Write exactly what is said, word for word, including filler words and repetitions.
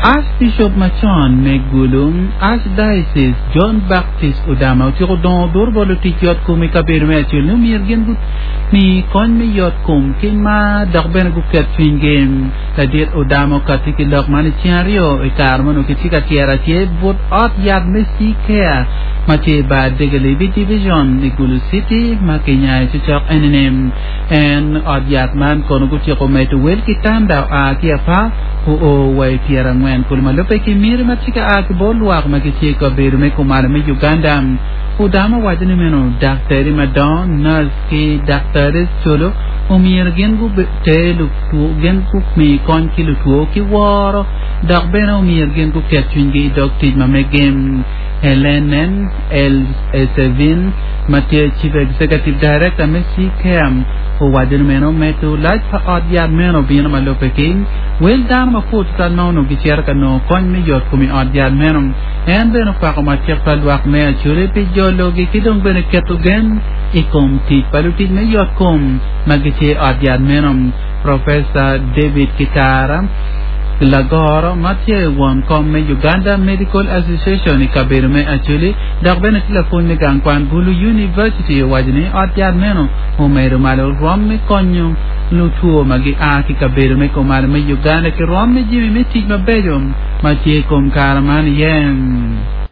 Archbishop macon me Gulu Archdiocese John Baptist Odama otyeko dongo duro bot lutic yot kom i kabedo me Acholi ni omyero gin gumi kony me yot kom ki mar dok bene guket cwinygi. Ladit Odama okatti ki lok man i ceng aryo i kare ma onongo kitye ka tyero atyer but ot yat me C-Care ma tye i bar Degelibi Division i Gulu City ma kinyayo cocok enini. En ot yat man kono gutyeko medo wel kitanda oa ki apar oo wa i pyerangwen kulu ma lubbe ki miti ma tye ka a ki bot lwak ma gitye i kabedo me kumalo me Uganda. Odama owaco ni meno daktari madongo, nurse ki daktari colo omyero gin guter lutwo gin gumi kony ki lutwo ki woro dok bene omyero gin guket cwinygi i dog tic ma megi. Helene Elsevin ma tye Chief Executive Director me C-Care owaco ni meno medo lac pa ot yat meno obino ma lubbe ki wel dano mapol tutwal ma onongo gicito ka nongo kony me yot kom i ot yat meno. En bene okwako matek pa lwak me Acholi pi jologi ki dong bene keto gen i kom tic pa lutic me yot kom ma gitye i ot yat meno. Professor David Kitara, Lagoro ma tye won kom me Uganda Medical Association i kabedo me Acholi dok bene tye lapwony me gang kwan Gulu University owaco ni ot yat meno omedo malo rwom me konyo lutwo ma gia ki kabedo me kumalo me Uganda ki rwom me jami me tic mabeco ma tye i kom kare man iye.